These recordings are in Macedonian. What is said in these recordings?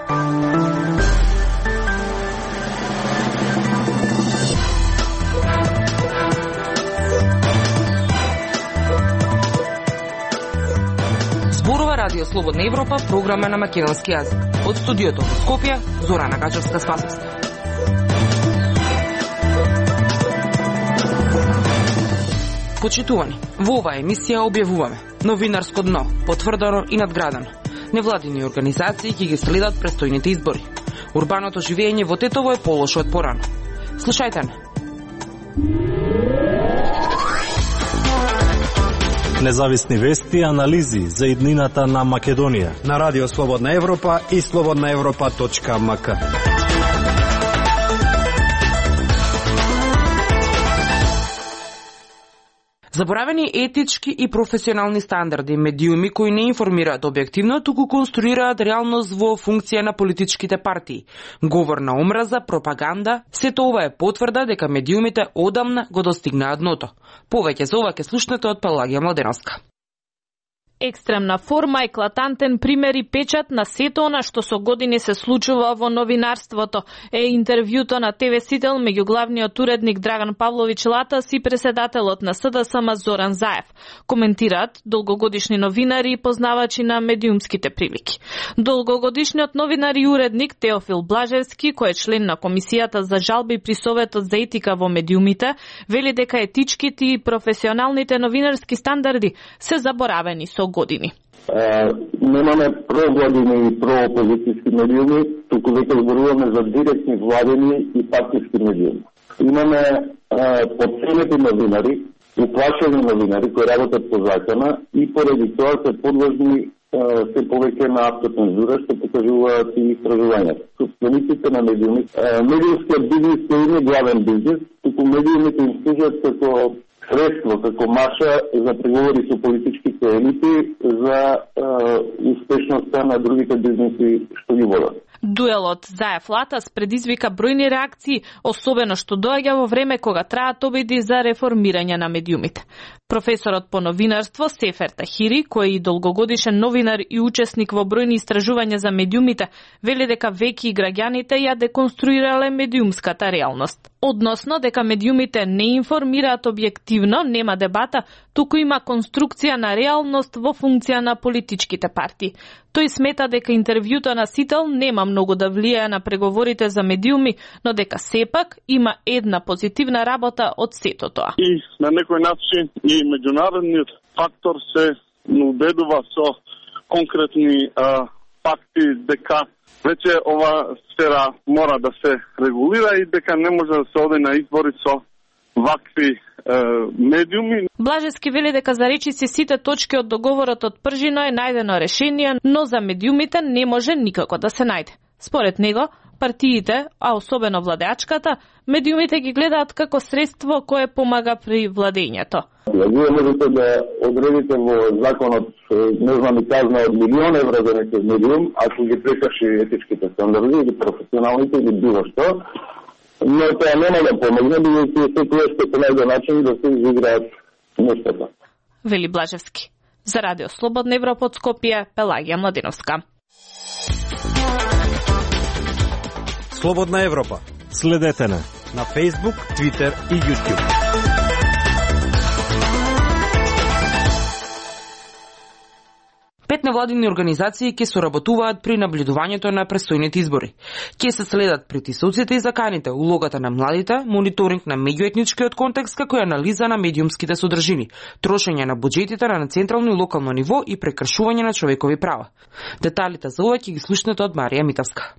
Радио Слободна Европа, програма на македонски јазик. Од студиото во Скопје, Зорана Гачевска-Спасовска. Почитувани, во оваа емисија објавуваме новинарско дно, потврдено и надградено. Невладини организации ќе ги следат престојните избори. Урбаното живење во Тетово е полошо од порано. Слушајте не. Независни вести и анализи за иднината на Македонија на Радио Слободна Европа и slobodnaevropa.mk. Заборавени етички и професионални стандарди, медиуми кои не информираат објективно, туку конструираат реалност во функција на политичките партии. Говор на омраза, пропаганда, сето ова е потврда дека медиумите одамна го достигнаа дното. Повеќе за ова ќе слушнете од Пелагија Младеновска. Екстремна форма, еклатантен пример и печат на сето она што со години се случува во новинарството е интервјуто на ТВ Сител меѓу главниот уредник Драган Павлович Латас и председателот на СДСМ Зоран Заев. Коментираат долгогодишни новинари и познавачи на медиумските прилики. Долгогодишниот новинар и уредник Теофил Блажевски, кој е член на Комисијата за жалби при Советот за етика во медиумите, вели дека етичките и професионалните новинарски стандарди се заборавени со години. Немаме провладини и проопозицијски медиуми, туку веќе зборуваме за директни владени и партиски медиуми. Имаме потценети новинари, уплашени новинари кои работат по закона и поради тоа се подложни се повеќе на автоцензура, што покажуваат и истражувањата. Собствениците на медиуми, медиумскиот бизнес кој има главен бизнес, туку медиумите им служат како средство, како маша за преговори со политичките елити за успешноста на другите бизнеси што ги водат. Дуелот Заев-Латас предизвика бројни реакции, особено што доаѓа во време кога траат обиди за реформирање на медиумите. Професорот по новинарство Сефер Тахири, кој е и долгогодишен новинар и учесник во бројни истражувања за медиумите, вели дека веќе и граѓаните ја деконструирале медиумската реалност. Односно дека медиумите не информираат објективно, нема дебата, туку има конструкција на реалност во функција на политичките партии. Тој смета дека интервјуто на Сител нема многу да влијае на преговорите за медиуми, но дека сепак има една позитивна работа од сето тоа. И на некој начин и меѓународниот фактор се убедува со конкретни факти дека веќе ова сфера мора да се регулира и дека не може да се оди на избори со вакви медиуми. Блажевски вели дека за речиси сите точки од договорот од Пржино е најдено решение, но за медиумите не може никако да се најде. Според него, партиите, а особено владеачката, медиумите ги гледаат како средство кое помага при владењето. Вие можете да одредите во законот, не знам, и казна од милион евра за некој медиум, ако ги прекрши етичките стандарди или професионалните или било што, но тоа нема да помогне, бидејќи секој ще понајде начин да се изиграат нештата. Вели Блажевски. За Радио Слободна Европа од Скопје, Пелагија Младеновска. Слободна Европа. Следете на Facebook, Twitter и YouTube. Пет невладини организации ќе соработуваат при наблюдувањето на престојните избори. Ќе се следат притисоците и заканите, улогата на младите, мониторинг на меѓуетничкиот контекст, како и анализа на медиумските содржини, трошење на буџетите на централно и локално ниво и прекршување на човекови права. Деталите за ова ќе ги слушнете од Марија Митовска.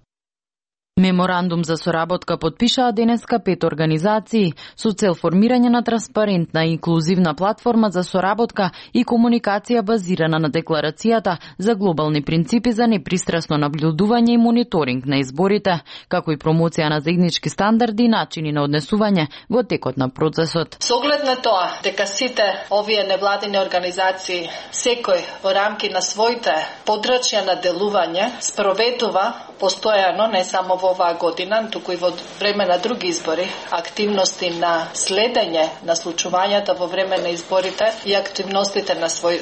Меморандум за соработка подпишаа денеска 5 организации со цел формирање на транспарентна и инклузивна платформа за соработка и комуникација базирана на декларацијата за глобални принципи за непристрасно наблюдување и мониторинг на изборите, како и промоција на заеднички стандарди и начини на однесување во текот на процесот. Со оглед на тоа дека сите овие невладини организации секој во рамки на своите подрачја на делување спроведува постојано не само во во оваа година, туку и во време на други избори, активности на следење на случувањата во време на изборите и активностите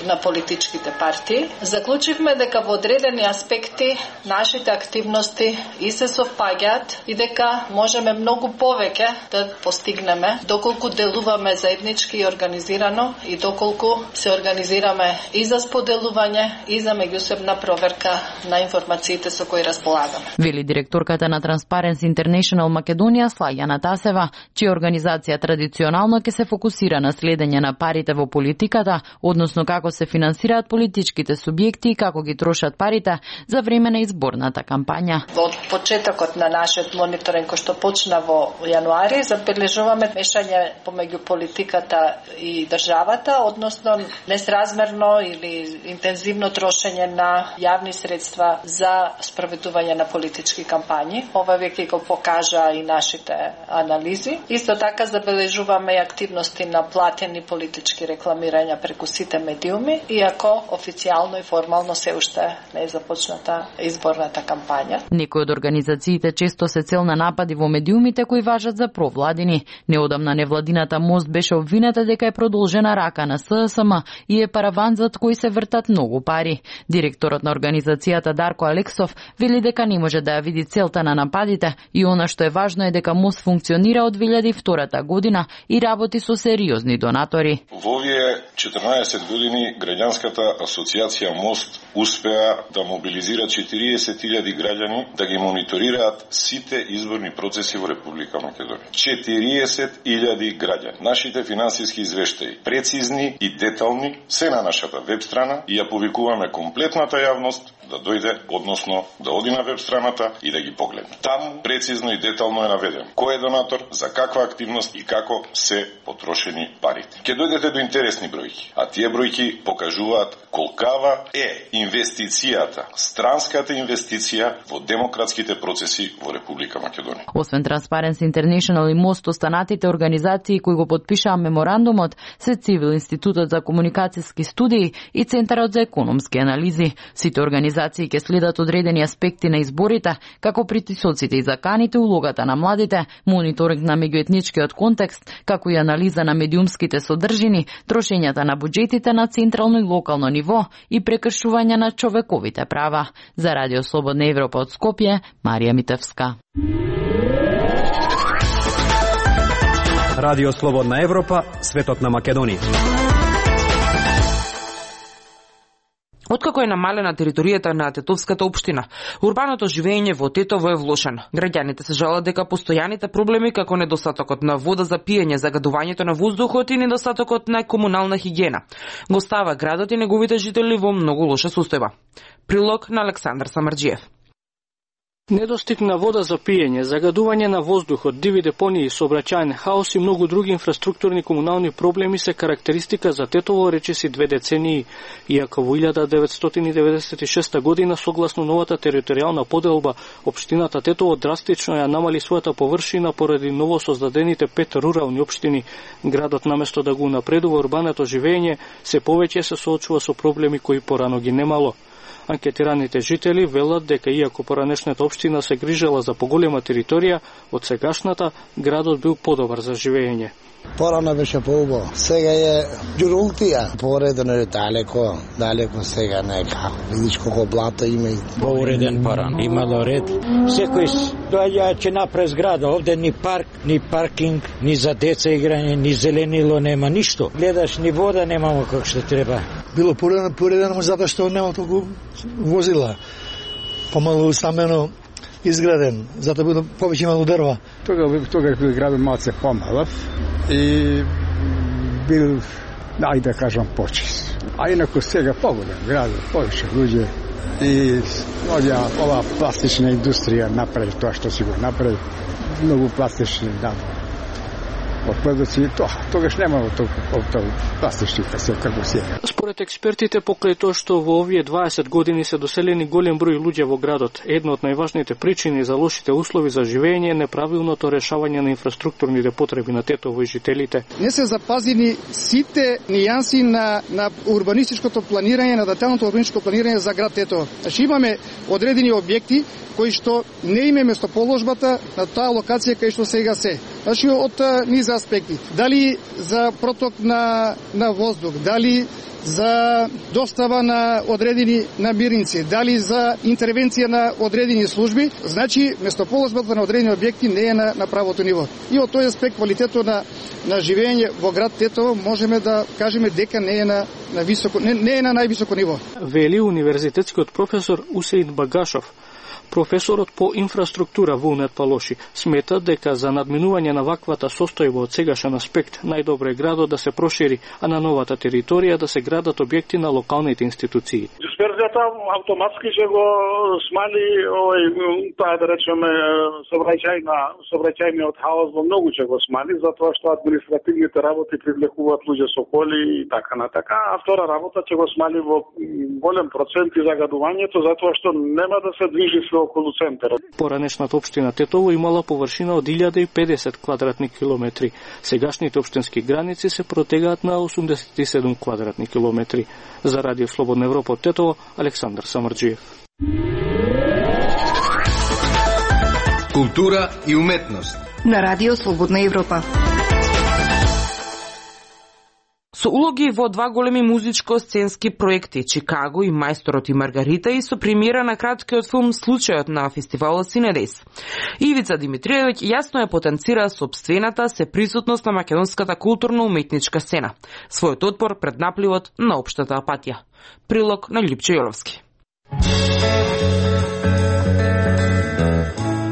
на политичките партии, заклучивме дека во одредени аспекти нашите активности и се совпаѓаат и дека можеме многу повеќе да постигнеме доколку делуваме заеднички и организирано и доколку се организираме и за споделување и за меѓусебна проверка на информациите со кои располагаме. Вели директорката на Transparency International Македонија Слајана Тасева, чија организација традиционално ќе се фокусира на следење на парите во политиката, односно како се финансираат политичките субјекти и како ги трошат парите за време на изборната кампања. Во почетокот на нашиот мониторинг кој што почна во јануари, забележуваме мешање помеѓу политиката и државата, односно несразмерно или интензивно трошење на јавни средства за спроведување на политички кампањи. Ова веќе го покажа и нашите анализи. Исто така забележуваме и активности на платени политички рекламирања преку сите медиуми, иако официјално и формално се уште не е започната изборната кампања. Некои од организациите често се цел на напади во медиумите кои важат за провладини. Неодамна невладината Мост беше обвината дека е продолжена рака на ССМ и е параван зад кој се вртат многу пари. Директорот на организацијата Дарко Алексов вели дека не може да ја види целта на нападите и она што е важно е дека Мост функционира од 2002 година и работи со сериозни донатори. Во овие 14 години граѓанската асоциација Мост успеа да мобилизира 40.000 граѓани да ги мониторираат сите изборни процеси во Република Македонија. 40.000 граѓани. Нашите финансиски извештаи, прецизни и детални, се на нашата веб страна и ја повикуваме комплетната јавност да дојде, односно да оди на веб страната и да ги погледне. Таму прецизно и детално е наведено кој е донатор, за каква активност и како се потрошени парите. Ке дојдете до интересни бројки, а тие бројки покажуваат колкава е инвестицијата, странската инвестиција во демократските процеси во Република Македонија. Освен Transparency International и Мост, останатите организации кои го потпишаа меморандумот се Цивил Институтот за комуникацијски студии и Центарот за економски анализи. Сите организации ќе следат одредени аспекти на изборите, како притисоците и заканите, улогата на младите, мониторинг на меѓуетничкиот контекст, како и анализа на медиумските содржини, трошењата на буџетите на централно и локално ниво и прекршување на човековите права. За Радио Слободна Европа од Скопје, Марија Митевска. Радио Слободна Европа, светот на Македонија. Откако е намалена територијата на Тетовската општина, урбаното живење во Тетово е влошено. Граѓаните се жалат дека постојаните проблеми како недостатокот на вода за пиење, загадувањето на воздухот и недостатокот на комунална хигиена го става градот и неговите жители во многу лоша состојба. Прилог на Александар Самарџиев. Недостиг на вода за пиење, загадување на воздухот, диви депонии, сообраќајен хаос и многу други инфраструктурни комунални проблеми се карактеристика за Тетово речиси 2 децении, иако во 1996 година, согласно новата територијална поделба, општината Тетово драстично ја намали својата површина поради новосоздадените 5 рурални општини. Градот наместо да го унапредува урбаното живење, се повеќе се соочува со проблеми кои порано ги немало. Анкетираните жители велат дека иако поранешната општина се грижела за поголема територија, од сегашната градот бил подобар за живење. Порано беше поубаво. Сега е ѓурултија. Поредено е далеко сега не е како. Видиш колко блато има и поуреден порано. Имало ред. Секој доаѓа ќе направи зграда. Овде ни парк, ни паркинг, ни за деца играње, ни зеленило нема ништо. Гледаш ни вода немамо како што треба. Било поредено затоа што нема толку возила. Помалу стамено изграден, затоа било повеќе имало дрва. Тога бил градот малце помалав и бил, ајде да кажам, почист. А инако сега поголем градот, повеќе луѓе и ова пластична индустрија направи тоа што си го направи. Многу пластични, отпадоци, тогаш немало толку пластичка се како сега. Според експертите, покрај тоа што во овие 20 години се доселени голем број луѓе во градот, една од најважните причини за лошите услови за живење е неправилното решавање на инфраструктурните потреби на Тетово и жителите. Не се запазени сите нијанси на урбанистичкото планирање, на деталното урбанистичко планирање за град Тетово. Значи имаме одредени објекти кои што не име местоположбата на таа локација кај што сега се. Значи од низ аспекти. Дали за проток на воздух, дали за достава на одредени намирници, дали за интервенција на одредени служби, значи местоположбата на одредени објекти не е на правото ниво. И од тој аспект квалитетот на живење во град Тетово можеме да кажеме дека не е на високо, не е на највисоко ниво. Вели универзитетскиот професор Усеин Багашов. Професорот по инфраструктура Вулнет Палоши смета дека за надминување на ваквата состојба од сегашен аспект најдобро е градот да се прошири, а на новата територија да се градат објекти на локалните институции. Дисперзијата автоматски ќе го смали таа да речеме сообраќајниот хаос во многу ќе го смали, затоа што административните работи привлекуваат луѓе со коли и така на така, а втора работа ќе го смали во голем процент и загадувањето, затоа што нема да се движи околу центарот. Поранешната општина Тетово имала површина од 1050 квадратни километри. Сегашните општински граници се протегаат на 87 квадратни километри. За Радио Слободна Европа од Тетово, Александар Самарџиев. Култура и уметност на Радио Слободна Европа. Со улоги во два големи музичко-сценски проекти Чикаго и Мајсторот и Маргарита и со премиера на краткиот филм Случајот на фестивалот Синедес. Ивица Димитриевиќ јасно ја потенцира сопствената сеприсутност на македонската културно-уметничка сцена, својот отпор пред напливот на општата апатија. Прилог на Љупче Јоловски.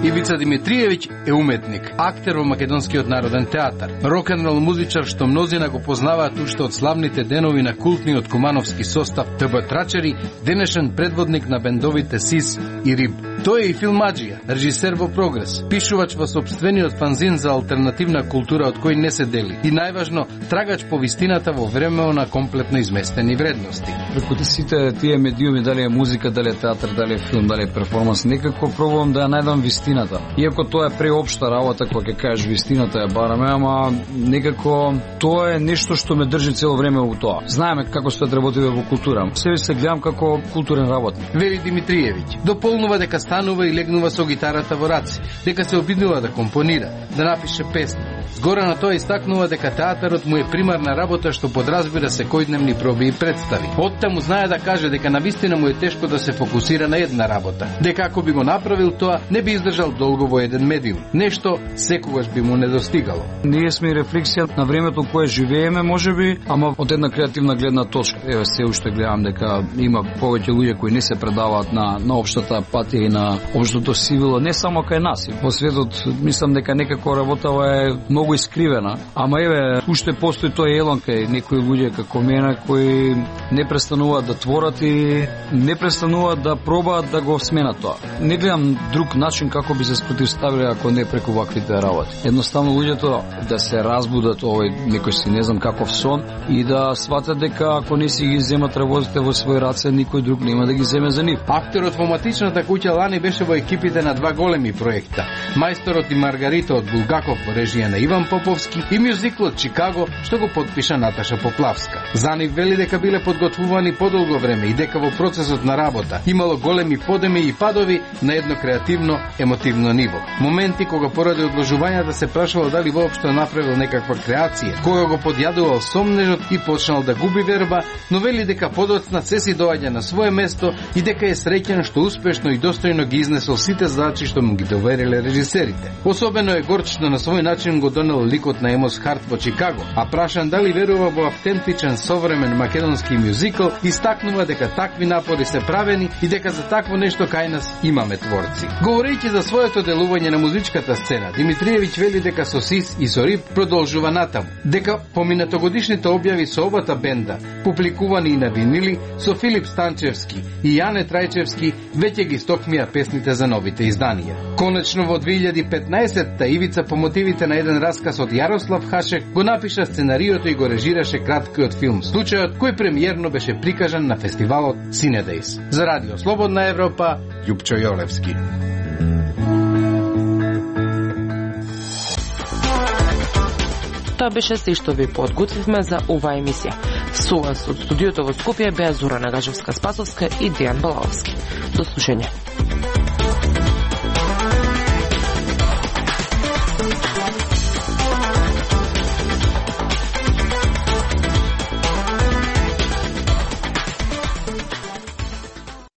Ивица Димитриевиќ е уметник, актер во Македонскиот народен театар, рок-н-рол музичар што мнозина го познаваат уште од славните денови на култниот кумановски состав ТБ Трачери, денешен предводник на бендовите СИС и РИБ. Тој е и филмаџија, режисер во прогрес, пишувач во сопствениот фанзин за алтернативна култура од кој не се дели и најважно трагач по вистината во време на комплетно изместени вредности. Преку сите тие медиуми, дали е музика, дали е театар, дали е филм, дали е перформанс, некако пробувам да ја најдам вистината. Иако тоа е преопшта работа, кога ќе кажеш вистината ја бараме, ама некако тоа е нешто што ме држи цело време во тоа. Знаеме како стојат работите во култура. Себе се гледам како културен работник. Вели Димитриевиќ, дополнува дека станува и легнува со гитарата во раце, дека се обиднува да компонира, да напише песни. Згора на тоа истакнува дека театарот му е примарна работа што подразбира секојдневни проби и представи. Оттаму знае да каже дека навистина му е тешко да се фокусира на една работа, дека ако би го направил тоа, не би издржал долго во еден медиум. Нешто секогаш би му недостигало. Ние сме рефлексија на времето кое живееме, можеби, ама од една креативна гледна точка. Еве се уште гледам дека има повеќе луѓе кои не се предаваат на општата патија и на општото сивило, не само кај нас. Во светот мислам дека некако работава е многу искривена, ама еве уште постои тој елон кај некои луѓе како мене кои не престануваат да творат и не престануваат да пробаат да го сменат тоа. Не гледам друг начин како би се спротивставиле ако не преку ваквите работи. Едноставно луѓето да се разбудат овој некој си не знам каков сон и да сватат дека ако не си ги земат работите во свој раце, никој друг нема да ги земе за нив. Актерот во матичната куќа лани беше во екипите на два големи проекта: Мајсторот и Маргарита од Булгаков во режија на Иван Поповски и мюзиклот Чикаго што го потпиша Наташа Поплавска. За нив вели дека биле подготвувани подолго време и дека во процесот на работа имало големи подеми и падови на едно креативно, емотивно ниво. Моменти кога поради одложувањата се прашувал дали воопшто направил некаква креација, кога го подјадувал сомнежот и почнал да губи верба, но вели дека подоцна се си доаѓа на свое место и дека е среќен што успешно и достојно ги изнесол сите задачи што му ги довериле режисерите. Особено е горд што на свој начин го донел ликот на Емос Харт во Чикаго, а прашан дали верува во автентичен современ македонски мюзикл, истакнува дека такви напори се правени и дека за такво нешто кај нас имаме творци. Говорејќи за своето делување на музичката сцена, Димитриевиќ вели дека со СИС и со РИБ продолжува натаму, дека поминатогодишните објави со овата бенда, публикувани и на винили, со Филип Станчевски и Јане Трајчевски, веќе ги стокмија песните за новите изданија. Конечно во 2015-та Ивица по мотивите на еден живописен расказ од Јарослав Хашек, го напиша сценариото и го режираше краткиот филм Случајот, кој премиерно беше прикажан на фестивалот Cinedejs. За Радио Слободна Европа, Љупчо Јолевски. Тоа беше се што ви подготвивме за оваа емисија. Со вас од студиото во Скопје беа Зора Нагажевска-Спасовска и Дејан Балаловски. До слушање.